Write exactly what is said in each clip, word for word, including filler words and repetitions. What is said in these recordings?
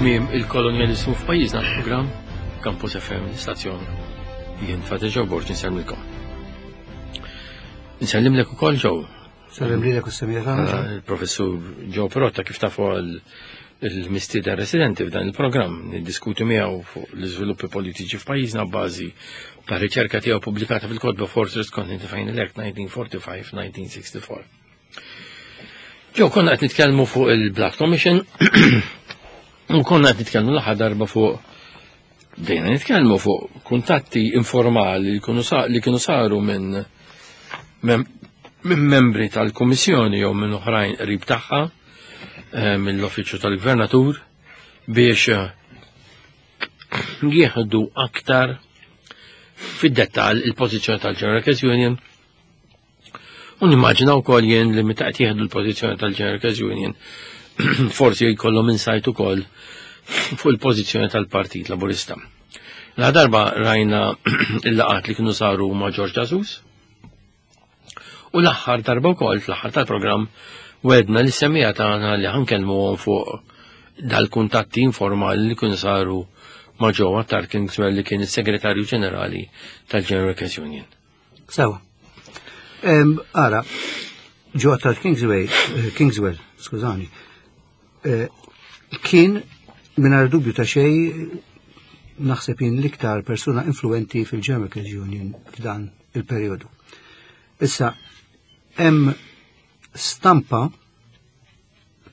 Tmiem il-kolonjalizmu f'pajjiżna l-programm Campus F M l-istazzjon. Jien Father Joe Borg insellmilkom. Nsellimlek ukoll, Joe. Sellem lilek u s-semmiegħa tagħna. Eh, Il-professur Joe Perotta, kif tafu, għal il-mistieden residenti f'dan il-programm, niddiskutu miegħu fuq l-iżviluppi politiċi f'pajjiżna bażi ta' riċerka tiegħu pubblikata fil-kotba Fortress Continent Elect nineteen forty-five nineteen sixty-four. Joe, konna qed nitkellmu fuq il-Black Commission u konna qed nitkellmu l-aħħar darba fuq, bdejna nitkellmu fuq kuntatti informali li kienu sa- li kienu saru minn mem- minn membri tal-Kummissjoni jew minn oħrajn qrib tagħha eh, mill-Uffiċċju tal-Gvernatur biex eh, jieħdu aktar fid-dettall il-pożizzjoni tal-General Workers Union. U nimmaġina wkoll jien li meta qed jieħdu l-pożizzjoni tal-General Workers Union forsi jkollhom insight ukoll fuq il-pożizzjoni tal-Partit Laburista. La darba rajna il-laqat li kienu saru ma' George Agius u l-aħħar darba wkoll, fl-aħħar tal-programm, wegħedna lis-semmiegħa tagħna li ħa nkellmuhom fuq dal-kuntatti informali li kienu saru ma' Joe Attard Kingswell, li kien is-Segretarju Ġenerali tal-General Workers Union. Sewa. Em, Ara, Joe Attard Kingsway, eh, Kingswell, skużani, eh, kien mingħajr dubju ta' xej naħseb jien l-iktar persuna influenti fil-General Workers Union f'dan il-periodu. Issa, hemm stampa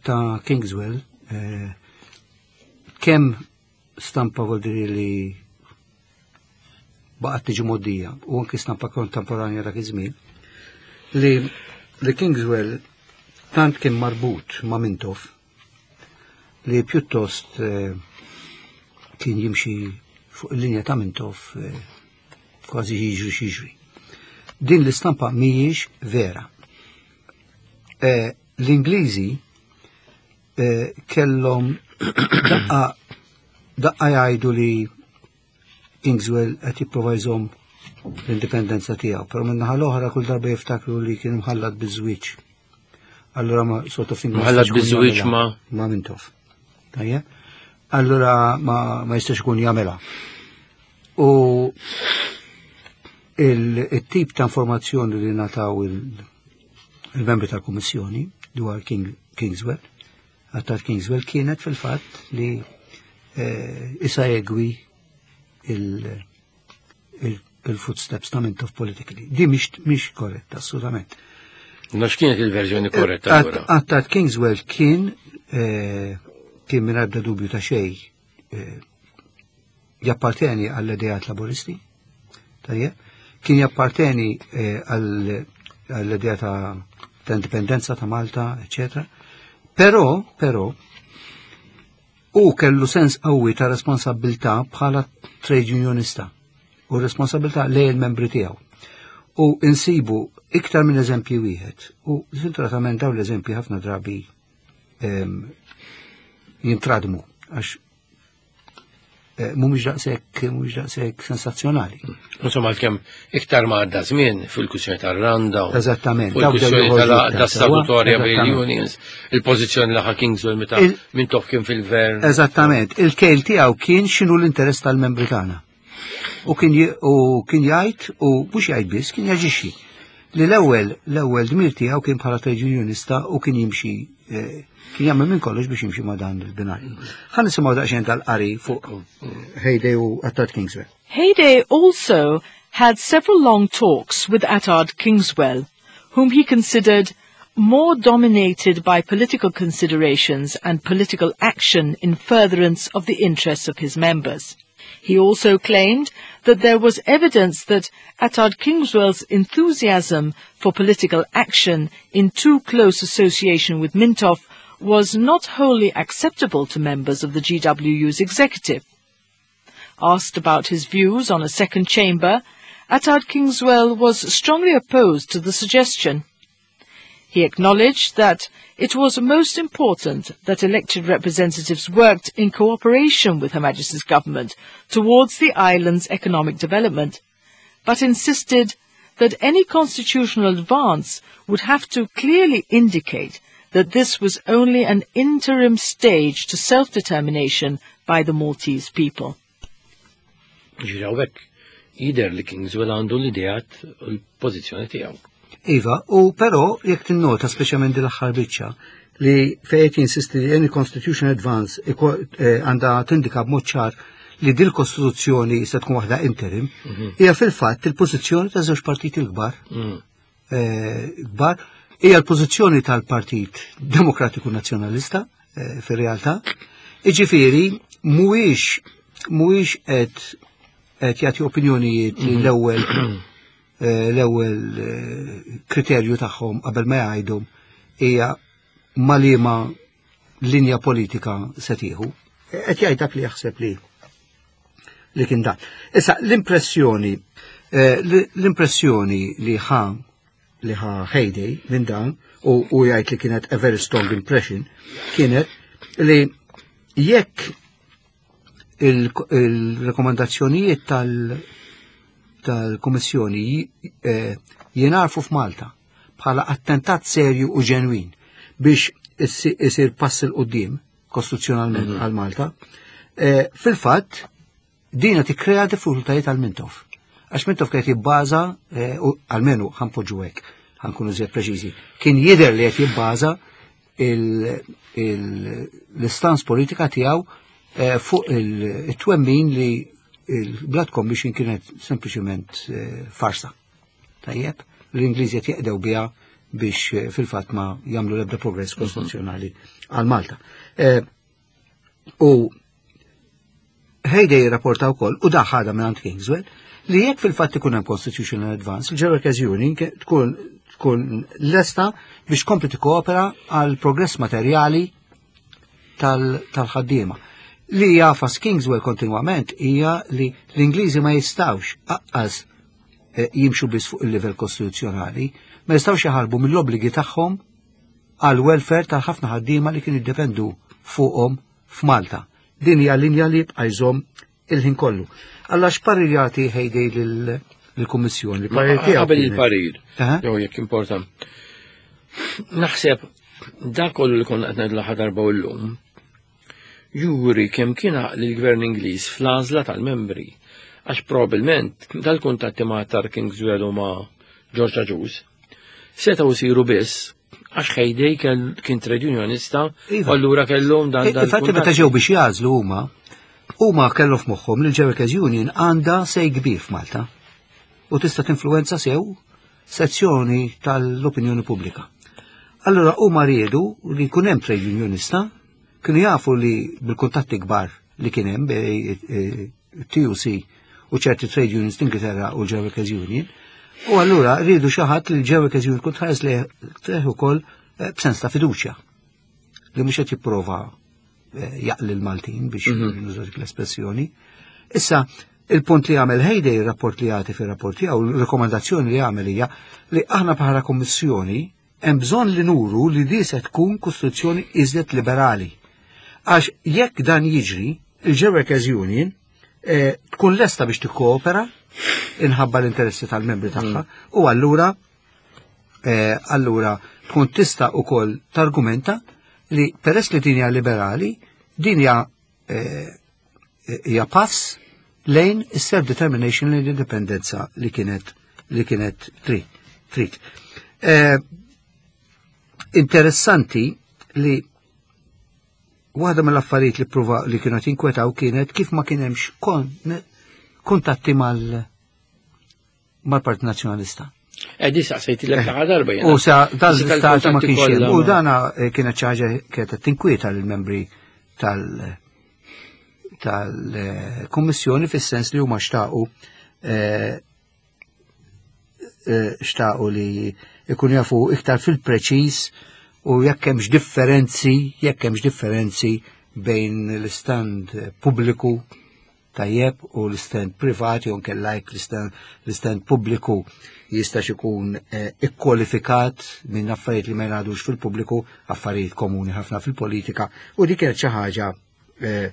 ta' Kingswell, eh, kemm stampa vuol dire li baqgħet tiġi mgħoddija u anki stampa kontemporanja dak iż-żmien li li Kingswell tant kien marbut ma' Mintoff li pjuttost eh, kien jimxi fuq il-linja ta' Mintoff eh, kważi jiġri x'jiġri. Din l-istampa mhijiex vera. Eh, L-Ingliżi eh, kellhom daqqa daqqa jgħidu li Kingswell qed jipprova jżomm l-indipendenza tiegħu, però min-naħa l-oħra kull darba jiftakru li kien imħallat biż-żwieġ. Allura ma sort of thing ma Mħallat jistax ikun biż-żwieġ jagħmilha. ma' ma' Mintoff. Tajjeb? Allura ma, ma jistax ikun jagħmilha. U il-tip ta' informazzjoni li ngħataw il- il-membri tal-Kummissjoni dwar King, Kingswell, Attard Kingswell, kienet fil-fatt li eh, isegwi il- il- il-footsteps ta' Mintoff politically. Di mhix mhix korretta, assolutament. Ma x'kienet il-verżjoni korretta allura? Attard Kingswell kien eh, kien minn ebda dubju ta' xej eh, japparteni għall-ideat laboristi, tajjeb, kien japparteni eh, għall- għall-idea ta' ta' indipendenza ta' Malta, eccetera. Però, però, u kellu sens qawwi ta' responsabilità bħala trade unionista u responsabilità lejn il-membri tiegħu. U insibu iktar minn eżempji wieħed. U sfortunatament dawn l-eżempji ħafna drabi em, jintradmu għax eh, mhumiex daqshekk mhumiex daqshekk sensazzjonali. Insomma, għalkemm iktar ma għadda żmien fil-kwistjoni tar-Randa, u Eżattament. fuq Daw bdew il-kwistjoni joħorġu tal- iktar ta' statutorja sewwa. bejn Eżattament. unions, il-pożizzjoni li ħa Kingswell meta Il- Mintoff kien fil-gvern. Eżattament. Il-kejl tiegħu kien x'inhu l-interess tal-membri tagħna. U kien j- u kien jgħid, u mhux jgħid biss, kien jaġixxi. Li l-ewwel l-ewwel dmir tiegħu kien bħala trade unionista u kien jimxi eh, kien jagħmel minn kollox biex jimxi ma' dan il-binarju. Ħa nisimgħu daqsxejn tal-qari fuq eh, Hayday u Attard Kingswell. Hayday also had several long talks with Attard Kingswell, whom he considered more dominated by political considerations and political action in furtherance of the interests of his members. He also claimed that there was evidence that Attard Kingswell's enthusiasm for political action in too close association with Mintoff was not wholly acceptable to members of the G W U's executive. Asked about his views on a second chamber, Attard Kingswell was strongly opposed to the suggestion. He acknowledged that it was most important that elected representatives worked in cooperation with Her Majesty's government towards the island's economic development, but insisted that any constitutional advance would have to clearly indicate that this was only an interim stage to self-determination by the Maltese people. Ġifieri hawnhekk jidher li Kingswell għandu l-ideat u l-pożizzjoni tiegħu. Iva, u però jekk tinnota speċjalment din l-aħħar biċċa li fejn jinsisti li any constitution advance eh, għandha tindika b'mod ċar li dil kostituzzjoni se tkun waħda interim, mhm. hija fil-fatt il-pożizzjoni ta' żewġ partiti l-kbar. Mhm. Eh, kbar, hija l-pożizzjoni tal-Partit Demokratiku Nazzjonalista eh, fir-realtà. Iġifieri mhuwiex mhuwiex qed qed jagħti opinjonijiet li mhm. l-ewwel eh, l-ewwel kriterju tagħhom qabel ma jgħidu hija ma' liema linja politika se tieħu. Qed jgħid dak li jaħseb li li kien dan. Issa l-impressjoni eh, l-impressjoni li ħa li ħa Hayday minn dan u, u jgħid li kienet a very strong impression kienet li jekk il-rekomandazzjonijiet tal- tal-Kummissjoni eh, jingħarfu f'Malta bħala attentat serju u ġenwin biex isir pass 'il quddiem kostituzzjonalment mhm. għal Malta, eh, fil-fatt dina tikkrea diffikultajiet għal Mintoff. Għax Mintoff kienet jibbaża, eh, almenu ħa npoġġu hekk, ħa nkunu żjed preċiżi, kien jidher li qed jibbaża l-istance politika tiegħu eh, fuq il-twemmin li il-Blood Commission kienet sempliċement eh, farsa. Tajjeb, l-Ingliżi qed jeqdew biha biex fil-fatt ma jagħmlu l-ebda progress kostituzzjonali għal Malta. U Hayday rapporta wkoll u daħħada minn Kingswell li jekk fil-fatt ikun hemm Constitutional Advance, il-Workers Union tkun tkun lesta biex kompli tikkoopera għal progress materjali tal-ħaddiema. Li jagħfas Kingswell kontinwament hija li l-Ingliżi ma jistawx aqqas eh, jimxu biss fuq il-livell kostituzzjonali, ma jistawx jaħarbu mill-obbligi tagħhom għal welfare ta' ħafna ħaddiema li kienu jiddependu fuqhom f'Malta. Din hija linja li jibqa' jżomm il-ħin kollu. Alla x'parir jagħti Hayday lill-Kummissjoni? Qabel il-parir, jew jekk importa. Naħseb dak kollu li konna qed ngħidu l-aħħar darba u llum, juri kemm kien għaqli l-Gvern Ingliż fl-għażla tal-membri. Għax probabbilment dal-kuntatti ma' Attard Kingswell u ma' George Agius setgħu jsiru biss għax Hayday kien trade unionista Iva. u allura kellhom dan dan. Infatti meta ġew biex jagħżlu huma, huma kellu f'moħħhom li l-Workers Union għandha say kbir f'Malta u tista' tinfluwenza sew sezzjoni tal-opinjoni pubblika. Allora huma riedu li jkun hemm trade unionista, kienu jafu li bil-kuntatti kbar li kien hemm bej eh, T U C u ċerti trade unions l-Ingilterra u l-Workers Union, u allura riedu xi ħadd li l-Workers Union kun tħares li ukoll eh, b'sens ta' fiduċja li mhux qed jipprova eh, jaqli l-Maltin biex Mhm. nuża dik l-espressjoni. Issa, il-punt li għamel Hayday, il-rapport li jagħti fir-rapport tiegħu, il-rekomandazzjoni li għamel hija li aħna bħala kommissjoni hemm bżonn li nuru li di se tkun kostituzzjoni iżjed liberali. Għax jekk dan jiġri, il-Workers Union eh, tkun lesta biex tikkoopera inħabba l-interessi tal-membri tagħha u allura eh, allura tkun tista' ukoll targumenta li peress li din hija liberali, din hija eh, hija pass lejn is-self-determination, lejn l-indipendenza li kienet li kienet trid. Trid. Eh, interessanti li waħda mill-affarijiet li prova li kienu jinkwetaw kienet kif ma kien hemmx kon, kuntatti mal mal-Partit Nazzjonalista. Edi saqsejt l l darba jena. U sa dan Issa l-istat ma tal-kuntatti kienx hemm. kollha U ma- dana eh, kienet xi ħaġa kienet tinkwieta lill-membri tal tal-Kummissjoni fis-sens li huma xtaqu eh, eh, xtaqu li ikun jafu iktar fil-preċiż u jekk hemmx differenzi, jekk hemmx differenzi bejn l-istand pubbliku Tajjeb, u l-stand privat jew nkella jekk l-stand pubbliku jistax ikun eh, ikkwalifikat minn affarijiet li ma jingħadux fil-pubbliku, affarijiet komuni ħafna fil-politika, u dik kienet xi ħaġa eh,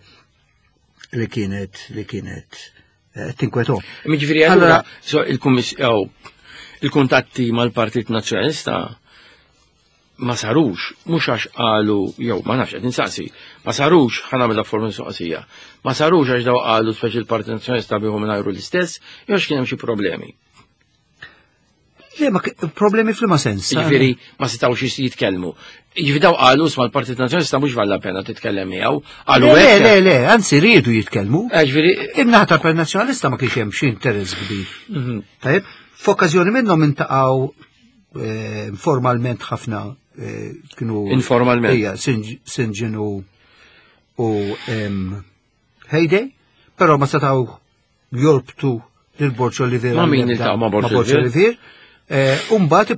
li kienet li kienet eh, tinkweto. Jiġifieri allura so il-kuntatti mal-Partit Nazzjonalista ma sarux, mhux għax qalu, jew ma nafx qed insaqsi, ma sarux, ħa nagħmilha forma mistoqsija, ma sarux għax daw qalu speċi l-Partit Nazzjonalista biħu mingħajru l-istess, jew kien hemm xi problemi. Le, ma problemi f'liema sens. Jiġifieri ma setgħux jitkellmu. Jiġifieri daw qalu isma' l-Partit Nazzjonalista mhux valla pena titkellem miegħu. Qalu Le, le, le, anzi riedu jitkellmu. Eh, jiġifieri In-naħa tal-Partit Nazzjonalista ma kienx hemm xi interess kbir. Mhm. Tajjeb, f'okkażjoni minnhom intaqgħu eh, formalment ħafna eh, kienu Informalment. Ija, St. John u u Hayday, però ma setgħu jorbtu lil Borg Olivier. Ma min iltaqgħu ma' Borg Olivier? Umbat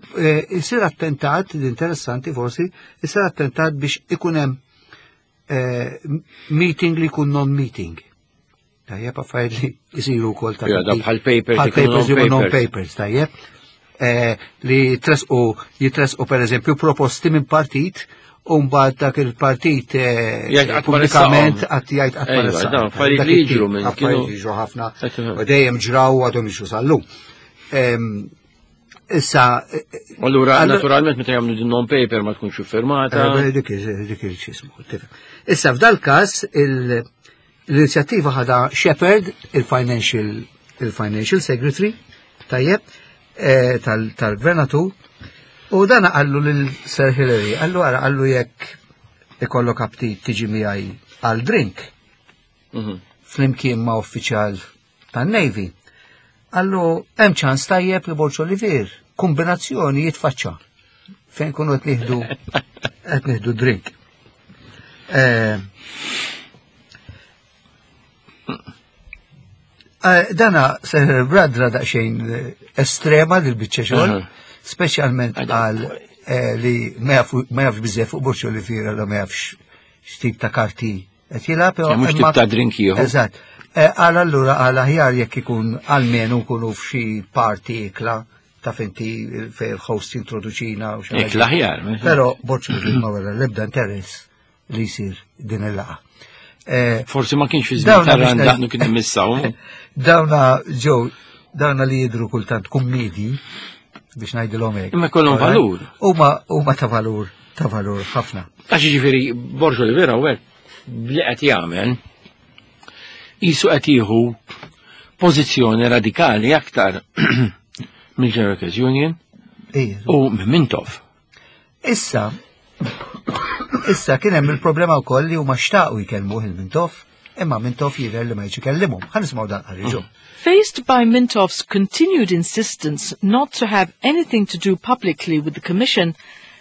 isir attentat, l-interessanti forsi, isir attentat biex ikun hemm meeting li jkun non-meeting. Tajjeb, affarijiet li jisiru wkoll ta' Ja, da bħal papers bħal ikunu papers li non-papers. non-papers, tajjeb. Eh, li tresqu jitresqu per eżempju proposti minn partit u mbagħad dak il-partit eh, Jgħid qatt ma pubblikament ressaqhom. qatt jgħid qatt ma Ejwa, ressaqhom. dawn affarijiet Dak li it-tip jiġru minn affarijiet kienu- jiġru ħafna Qed u dejjem ġraw u għadhom jiġru sal-lum. Em, Issa, eh, Allura, Allura- naturalment, meta jagħmlu din non-paper ma tkunx iffirmata. Eh, Dik dik il-ċismu. Issa, f'dal każ il- l-inizjattiva ħada Shepherd, il-Financial il-Financial Secretary, tajjeb, eh, tal- tal-gvernatur, u dan qallu lil Sir Hillary, qallu ara, qallu jekk ikollok aptit tiġi miegħi għal drink Mhm. flimkien ma' uffiċjal tan-Navy. Qallu hemm ċans tajjeb li Borg Olivier, kombinazzjoni jitfaċċa fejn kunu qed nieħdu qed nieħdu drink. Eh, eh, Dana Sir Bradra daqsxejn eh, estrema dil biċċa xogħol, Aha. speċjalment għal eh, li ma jafu- ma jafx biżejjed fuq Borg Olivier għal ma jafx x'tip ta' karti qed jilgħab. Ja, mhux imma- tip ta' drink jieħu. Eżatt. Eh, Għal allura għal aħjar jekk ikun almenu nkunu f'xi party ikla ta' finti fej il-host introduċina u xi ħaġa. Ikla aħjar. Però Borg Olivier ma wera l-ebda interess li jsir din il-laqgħa. Eh, Forsi ma kienx fi żmien Dawna ta' biex randaqnu kien immissaw. Dawna ġew, dawna li jidru kultant kummedi biex ngħidilhom hekk. Imma jkollhom valur. Huma huma ta' valur, ta' valur ħafna. Għax jiġifieri Borg Olivier hawnhekk li qed jagħmel qisu qed jieħu pożizzjoni radikali aktar mill-General Workers Union Ija. u minn Mintoff. Issa, issa kien hemm il-problema wkoll li huma xtaqu jkellmuh il-Mintoff, imma Mintoff jidher li ma jiġi kellimhom. Ħa nisimgħu dan qari ġo. Faced by Mintoff's continued insistence not to have anything to do publicly with the Commission,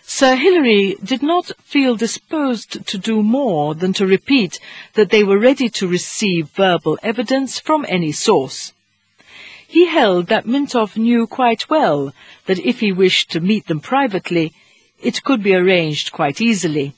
Sir Hilary did not feel disposed to do more than to repeat that they were ready to receive verbal evidence from any source. He held that Mintoff knew quite well that if he wished to meet them privately, it could be arranged quite easily.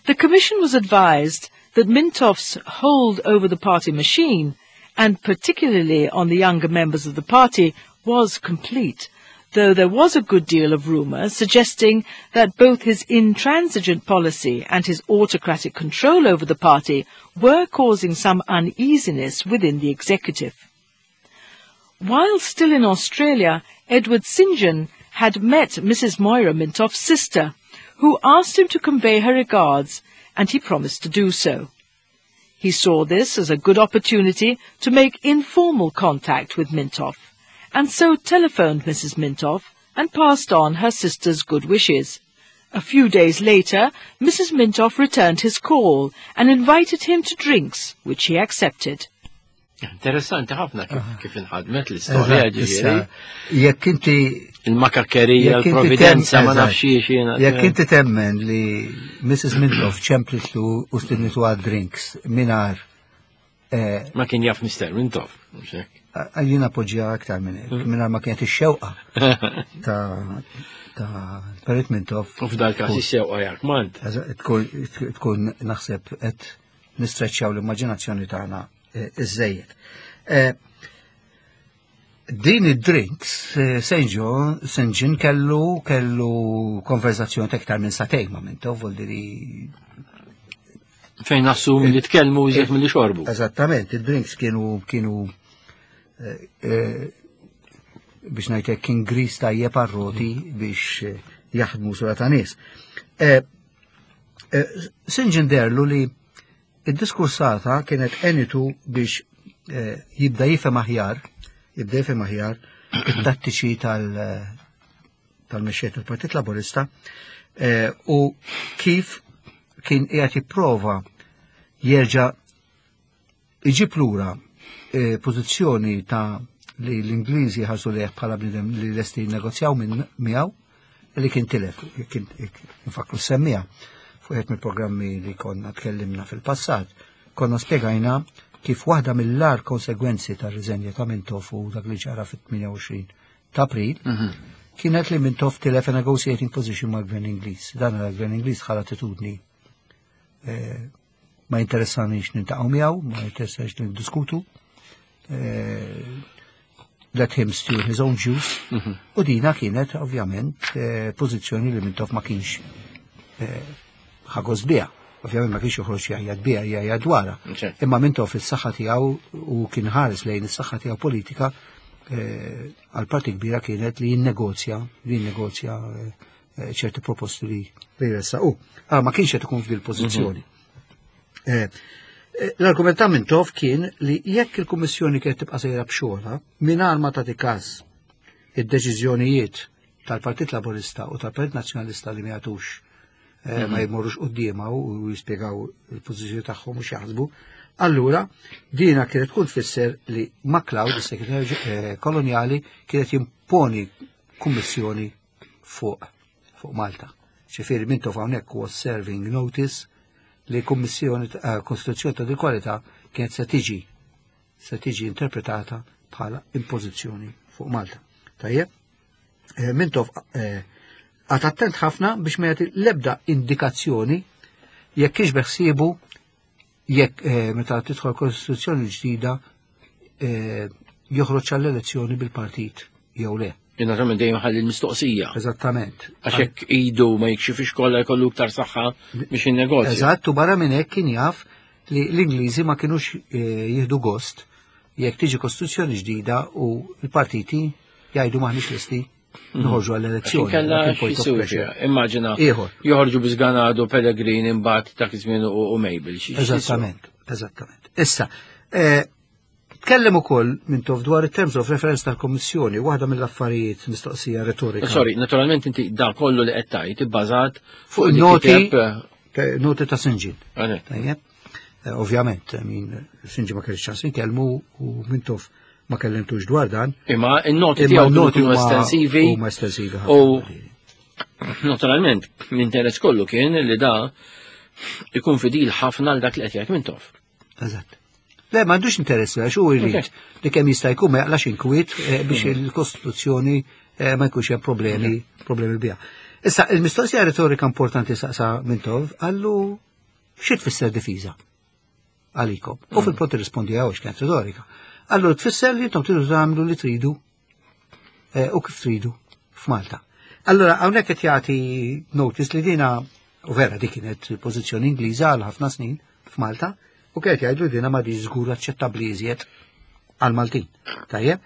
The Commission was advised that Mintoff's hold over the party machine, and particularly on the younger members of the party, was complete, though there was a good deal of rumour suggesting that both his intransigent policy and his autocratic control over the party were causing some uneasiness within the executive. While still in Australia, Edward St. John had met Missus Moira Mintoff's sister, who asked him to convey her regards, and he promised to do so. He saw this as a good opportunity to make informal contact with Mintoff, and so telephoned Missus Mintoff and passed on her sister's good wishes. A few days later, Missus Mintoff returned his call and invited him to drinks, which he accepted. Interessanti ħafna kif, kif inħadmet l-istorja Eżatt, issa, ġifieri. Jekk inti Il-makakkerija, jekk inti il-providenza, tem- ma eżatt. nafx xiex jiena. Jekk inti temmen li Missus Mintoff ċemplitlu u stidnitu għad drinks mingħajr eh, Ma kien jaf Mister Mintoff. Mhux hekk. Jien appoġġja aktar minn hekk, mingħajr ma kienet ix-xewqa ta' ta' Perit Mintoff. U f'dal każ ix-xewqa jak mant. Eżatt, Tkun tkun naħseb qed nistreċċjaw l-immaġinazzjoni tagħna iżżejjed. Din id-drinks, Saint John, Saint John kellu kellu konverzazzjoni ta' iktar minn sagħtejn ma' Mintoff, vuol dire Fejn nassum li tkellmu iżjed milli xorbu. Eżattament, id-drinks kienu kienu biex ngħidlek kien gris tajjeb għar-roti biex jaħdmu sura ta' nies. Saint John deherlu li id-diskursata kienet għenitu biex jibda jifhem aħjar, jibda jifhem aħjar it-tattiċi tal-mexxej tal-Partit Laburista u kif kien qiegħed jipprova jerġa' iġib lura pożizzjoni ta' li l-Ingliżi ħarsu lejh bħala bniedem li lesti jinnegozjaw minn miegħu li kien tilef, kien infakru semmija fuq wieħed mill-programmi li konna tkellimna fil-passat, konna spjegajna kif waħda mill-agħar konsegwenzi tar-riżenja ta' Mintoff u dak li ġara fit-tmienja u għoxrin ta' April kienet li Mintoff tilef a negotiating position mal-Gvern Ingliż. Dan il-Gvern Ingliż ħa l-attitudni ma jinteressanix niltaqgħu miegħu, ma jinteressanix niddiskutu. Let him stew his own juice. U dina kienet ovvjament pożizzjoni li Mintoff ma kienx ħa gost biha. Ovvjament ma kienx joħroġ jgħajjat biha, jgħajjat dwarha. Imma Mintoff is-saħħa tiegħu u kien ħares lejn is-saħħa tiegħu politika għal parti kbira kienet li jinnegozja, li jinnegozja ċerti proposti li jressaq. U ma kienx qed ikun f'dil pożizzjoni. L-argument ta' Mintoff kien li jekk il-Kummissjoni kienet tibqa' sejra b'xogħolha mingħajr ma tagħti każ id-deċiżjonijiet tal-Partit Laburista u tal-Partit Nazzjonalista li ma jagħtux ma jmorrux quddiemha u jispjegaw il-pożizzjoni tagħhom u x'jaħsbu, allura dina kienet tkun tfisser li MacLeod, is-segretarju kolonjali, kienet jimponi kummissjoni fuq fuq Malta. Ġifieri Mintoff hawnhekk was serving notice li kummissjoni kostituzzjoni ta' kwalità kienet se tiġi se tiġi interpretata bħala impożizzjoni fuq Malta. Tajjeb, Mintoff qagħad attent ħafna biex ma jagħti l-ebda indikazzjoni jekk kienx beħsiebu jekk meta tidħol kostituzzjoni ġdida joħroġ għall-elezzjoni bil-partit jew le. Naturalment dejjem ħalli l-mistoqsija. Eżattament. Għax hekk idu ma jikxifix kollha jkollu iktar saħħa biex jinnegozja. Eżatt, u barra minn hekk kien jaf li l-Ingliżi ma kinux jieħdu gost jekk tiġi kostituzzjoni ġdida u l-partiti jgħidu maħniex lesti noħorġu għall-elezzjoni. Kella immaġina joħorġu bi Ganado, Pellegrini imbagħad dak iż-żmien u Mabel. Eżattament, eżattament. Issa, tkellem ukoll Mintoff dwar it-terms of reference tal-Kommissjoni, waħda mill-affarijiet mistoqsija retorika. Sorry, naturalment inti da kollu li qed tgħid ibbażat fuq noti noti ta' Saint John. Tajjeb. Ovvjament, min Saint John ma kellix ċans inkellmu u Mintoff ma kellimtux dwar dan. Imma n-noti tiegħu kienu estensivi. Huma estensivi. U naturalment l-interess kollu kien li da ikun fidil ħafna għal dak li qed jgħid Mintoff. Eżatt. Le, ma għandux interess, għax hu jrid li kemm jista' jkun ma jaqlax inkwiet biex il-Kostituzzjoni ma jkunx hemm problemi, problemi biha. Issa, il-mistoqsija retorika importanti saqsa Mintoff, qallu xi tfisser difiża għalikom. U fil-pront irrispondi għax kienet retorika. Qallu tfisser li intom tridu tagħmlu li tridu u kif tridu f'Malta. Allora, hawnhekk qed jagħti notice li dina, u vera dik kienet pożizzjoni Ingliża għal ħafna snin f'Malta, u kienet jgħidu dina ma di żgur aċċettabbli iżjed għal Maltin. Tajjeb.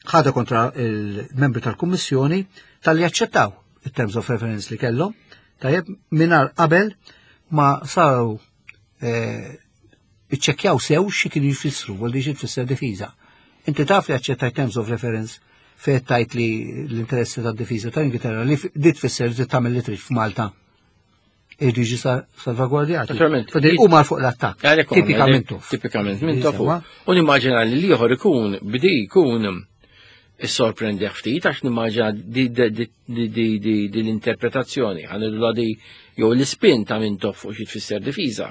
Ħada kontra il-membri tal-Kummissjoni tal-li aċċettaw il-terms of reference li kellhom, tajjeb, mingħajr qabel ma saru iċċekkjaw sew xi kienu jfissru, vuol xi tfisser difiża. Inti taf li aċċettaj terms of reference fejn tajt li l-interessi tad-difiża tal-Ingilterra li di tfisser li tagħmel li trid f'Malta. Irridu jiġi salvagwardjati. Naturalment. U mar fuq l-attakk. Tipikament. Tipikament Mintoff. U nimmaġina li l-ieħor ikun bdi jkun issorprendi ftit għax nimmaġina di l-interpretazzjoni, ħa di jew l-ispin ta' Mintoff fuq xi tfisser difiża.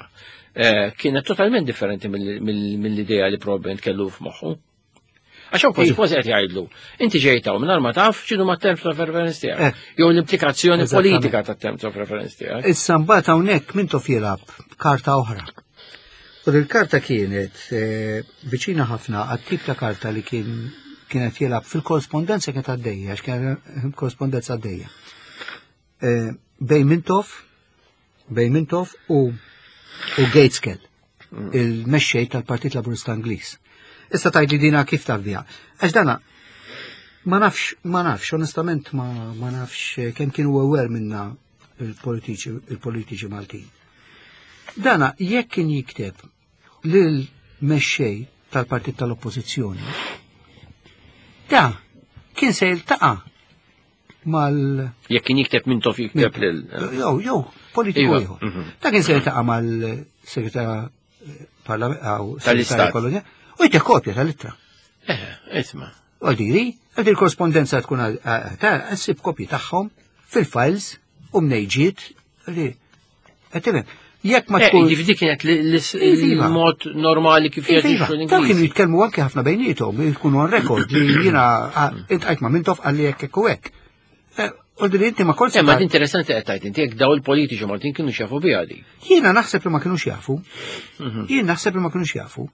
Kienet totalment differenti mill-idea li probablement kellu f'moħħu. Għax hawn kważi kważi qed jgħidlu. Inti ġejtaw mingħajr ma taf x'inhu ma terms of reference tiegħek. Jew l-implikazzjoni politika ta' terms of reference tiegħek. Issa mbagħad hawnhekk Mintoff jilgħab karta oħra. U il-karta kienet eh, viċina ħafna għat-tip ta' karta li kien kienet jilgħab fil-korrespondenza kienet għaddejja, għax kien korrespondenza għaddejja. Eh, bejn Mintoff, bejn Mintoff u u Gaitskell, il-mexxej tal-Partit Laburista Ingliż. Issa tgħid li dina kif taf biha? Għax dana ma nafx, ma nafx, onestament ma, ma nafx eh, kemm kienu aware minna il-politiċi il-politiċi Maltin. Dana jekk kien jikteb lil mexxej tal-partit tal-oppożizzjoni, da kien se jiltaqa' mal Jekk kien jikteb Mintoff jikteb lil. Jew, jew, politiku Iva, ieħor. mhm. Da kien se jiltaqa' mal-segretarja Tal-Istat. kolonja u jtih kopja tal-ittra. Eh, isma. U diri, għal il-korrespondenza tkun ta' ssib kopji tagħhom fil-files u mnejġiet li qed tifhem. Jekk ma Eh, tkun Ġifieri dik kienet li- li- Iva. il-mod normali kif Iva, jaġixxu dawn kienu l-Ingliżi. jitkellmu anke ħafna bejniethom, jkunu on record li jiena iltqajt ma' Mintoff qalli hekk hekk u hekk. Eh, U li inti ma kontx Eh, ma interessanti qed tgħid inti jekk daw il-politiċi Maltin kienu xafu biha di. Jiena naħseb li ma kienux jafu. Jiena naħseb li ma kienux jafu.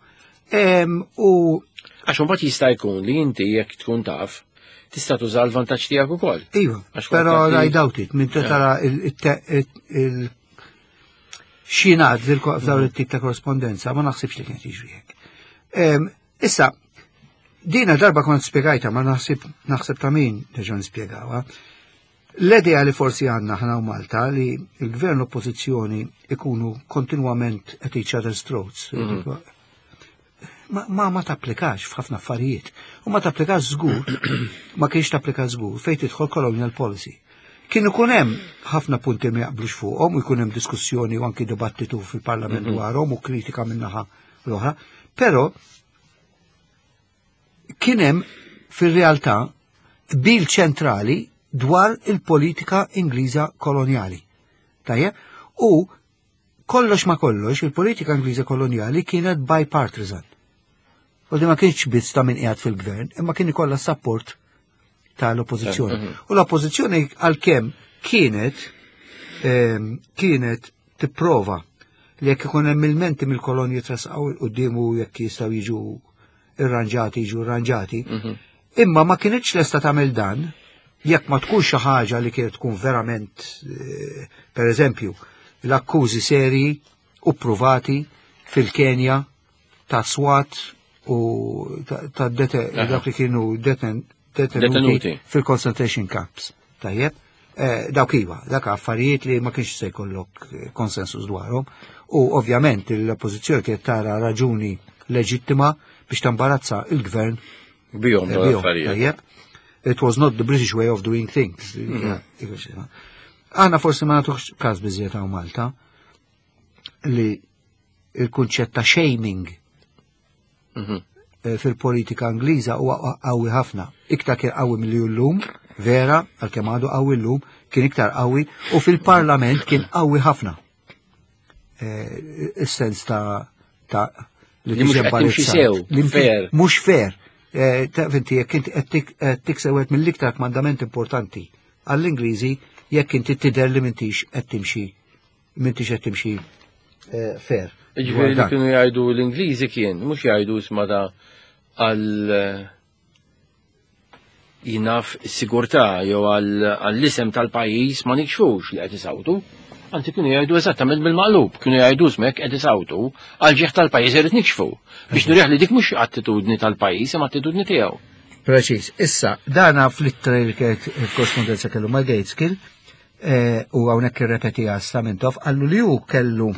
Em, U Għax imbagħad jista' jkun li inti jekk tkun taf tista' tuża l-vantaġġ tiegħek ukoll. Iva, Għax pero kont I doubt it, minn tara il- il- il xinad f'dawn it-tip ta' korrespondenza, ma naħsibx li kienet jiġri hekk. Em, Issa, dina darba kont spiegajta, ma naħseb naħseb ta' min nerġa' nispjegawha. L-idea li forsi għandna ħna u Malta li il-gvern l-oppożizzjoni ikunu kontinwament at each other's throats. Ma, ma, ma tapplikax f'ħafna affarijiet. U ma tapplikax żgur, ma kienx tapplika żgur fejn tidħol colonial policy. Kien ikun hemm ħafna punti ma jaqblux fuqhom u jkun hemm diskussjoni u anki dibattitu fil-parlament dwarhom u kritika min-naħa l-oħra, però kien hemm fir-realtà bil ċentrali dwar il-politika Ingliża kolonjali. Tajjeb? U kollox ma kollox, il-politika Ingliża kolonjali kienet bipartisan. U di ma kienx biss ta' min qiegħed fil-gvern, imma kien ikollha support tal-oppożizzjoni. U l-oppożizzjoni għalkemm kienet ehm, kienet tipprova li jekk ikun hemm ilmenti mill-kolonji trasqaw quddiemu jekk jistgħu jiġu irranġati jiġu irranġati. Imma ma kienitx lesta tagħmel dan jekk ma tkunx xi ħaġa li kienet tkun verament eh, per eżempju, l-akkużi seri u provati fil-Kenja ta' swat u ta' ta' dete- dak li kienu deten- detenuti Detenuti. fil-concentration camps. Tajjeb, eh, dawk iva, dak affarijiet li ma kienx se jkollok eh, konsensus dwarhom. U ovvjament l-oppożizzjoni kienet tara raġuni leġittima biex tambarazza il-gvern Bihom eh, dawn bihom, l-affarijiet. tajjeb. It was not the British way of doing things. Aħna forsi ma nagħtux każ biżżejjed hawn Malta li il-kunċett ta' shaming Mhm. eh, fil-politika Ingliża huwa qawwi ħafna. Iktar kien qawwi milli llum, vera, għalkemm għadu qawwi llum, kien iktar qawwi u fil-Parlament kien qawwi ħafna. Eh, Is-sens ta' ta' Li mhux tiġi qed timxi imbarazzat. sew, Li mti- fair. Mhux fair. Eh, Ta' inti jekk inti qed tik- qed tikseb wieħed mill-iktar kmandament importanti għall-Ingliżi jekk inti tidher li m'intix qed timxi m'intix qed timxi eh, fair. Ġifieri li Dwar dan. kienu jgħidu l-Ingliżi kien, mhux jgħidu isma da għal eh, jinaf sigurtà jew għall-isem tal-pajjiż ma nikxfux li qed isawtu. Anzi kienu jgħidu eżattament bil-maqlub, kienu jgħidu smek qed isawtu għal ġieħ tal-pajjiż irid nikxfu. Biex nurih li dik mhux attitudni tal-pajjiż imma attitudni tiegħu. Preċis. Issa, dana fl-ittra li kienet il-korrespondenza kellu ma' Gaitskell, eh, u hawnhekk irrepetiha sa Mintoff, qallu li hu kellu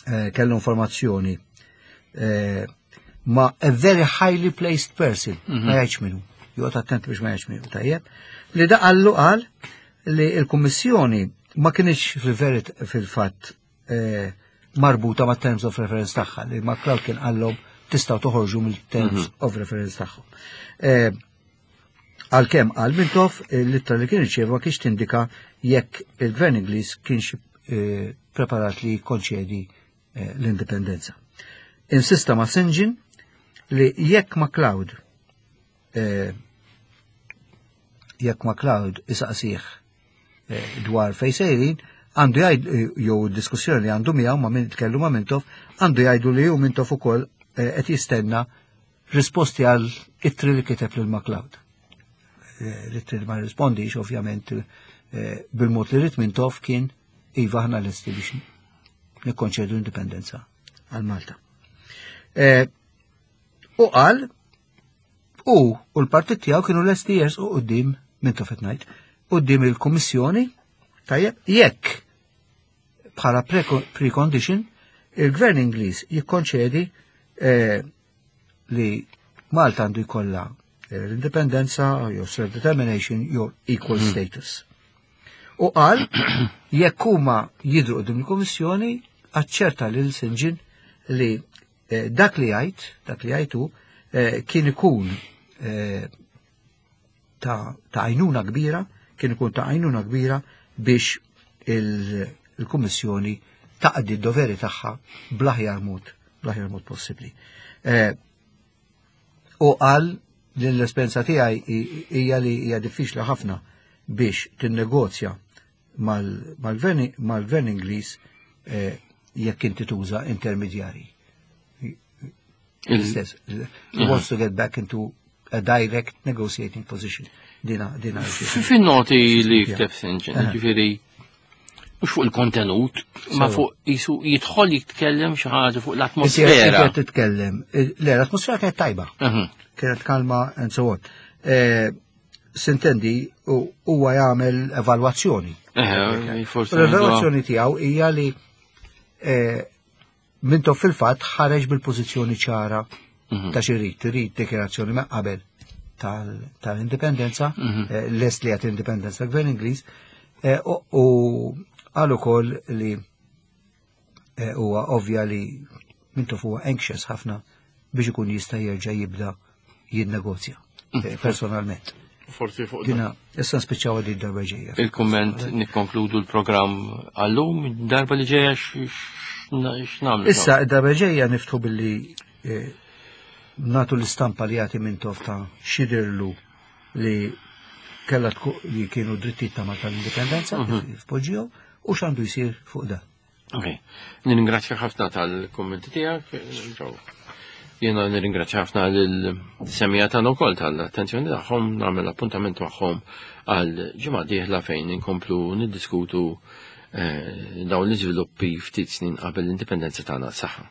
eh, kellu informazzjoni eh, ma' a very highly placed person, ma jgħidx minnu, joqgħod attent biex ma jgħidx minnu, tajjeb, li da qallu qal li il-Kummissjoni ma kienx fil-verit fil-fatt eh, marbuta ma' terms of reference tagħha, li MacLeod kien qallhom tistgħu toħorġu mill-terms of reference tagħhom. Eh, Għalkemm għal Mintoff l-ittra li kien irċieva ma kienx tindika jekk il-Gvern Ingliż kienx eh, preparat li jikkonċedi eh, l-indipendenza. Insista ma' St John li jekk MacLeod eh, jekk MacLeod isaqsih eh, dwar fejn sejrin Għandu jgħid jew diskussjoni li għandu miegħu ma' min kellu ma' Mintoff, għandu jgħidu li hu Mintoff ukoll eh, qed jistenna risposti għal ittri li kiteb lil MacLeod. Eh, L-ittri li ma rispondix ovvjament eh, bil-mod li ried Mintoff kien iva, aħna lesti biex nikkonċedu indipendenza għal Malta. Eh, U qal u u l-partit tiegħu kienu lesti jersqu quddiem Mintoff qed ngħid, quddiem il-Kummissjoni, tajjeb, jekk bħala pre- precondition il-Gvern Ingliż jikkonċedi eh, li Malta għandu jkollha eh, l-indipendenza jew self-determination jew equal status. U qal jekk huma jidhru quddiem il-Kummissjoni, aċċerta lil Saint John li eh, dak li jgħid, dak li jgħidu eh, kien ikun eh, ta' ta' għajnuna kbira, kien ikun ta' għajnuna kbira biex il- il-Kummissjoni taqdi d-doveri tagħha bl-aħjar mod, bl-aħjar mod possibbli. Eh, U qal li l-esperjenza tiegħi hi- hija li hija diffiċli ħafna biex tinnegozja mal- mal-gvern mal-gvern Ingliż eh, jekk inti tuża intermedjari. L-istess. He wants to get back into a direct negotiating position. Dina, dina. Fin-noti li Yeah. kteb Saint John, Aha. ġifieri, mhux fuq il-kontenut, ma Sewa. fuq jisu jidħol jitkellem xi ħaġa fuq Inti l-atmosfera. qed titkellem. Le, l-atmosfera kienet tajba. Mhm. Kienet kalma and so on. Eh, S'intendi, u- huwa jagħmel evalwazzjoni. Eh, forsi. L-evalwazzjoni tiegħu hija li eh, Mintoff fil-fatt ħareġ bil-pożizzjoni ċara Mhm. ta' x'irid, irid dikjarazzjoni ma' qabel tal- tal-indipendenza, Mhm. eh, lest li għat indipendenza gvern Ingliż, eh, u- u qal ukoll li eh, huwa ovvja li Mintoff huwa anxious ħafna biex ikun jista' jerġa' jibda jinnegozja eh, personalment. Forsi fuq dan. Dina, issa nspiċċaw di darba ġejja. Il-komment nikkonkludu l-programm għallum, darba li ġeja x'nagħmlu. Issa, id-darba ġejja niftħu billi eh, natu l-istampa li jagħti Mintoff ta' x'jidhirlu li kella tku- li kienu drittijiet ta' Malta l-indipendenza kif poġġihom u x'għandu jsir fuq dan. Ok. Nirringrazzja ħafna tal-kommenti tiegħek. Joe. Jiena nirringrazzja ħafna lil-semmiegħa tagħna wkoll tal-attenzjoni tagħhom, nagħmel appuntament magħhom għal ġimgħa dieħla fejn inkomplu niddiskutu eh, dawn l-iżviluppi ftit snin qabel l-indipendenza tagħna. Saħħa.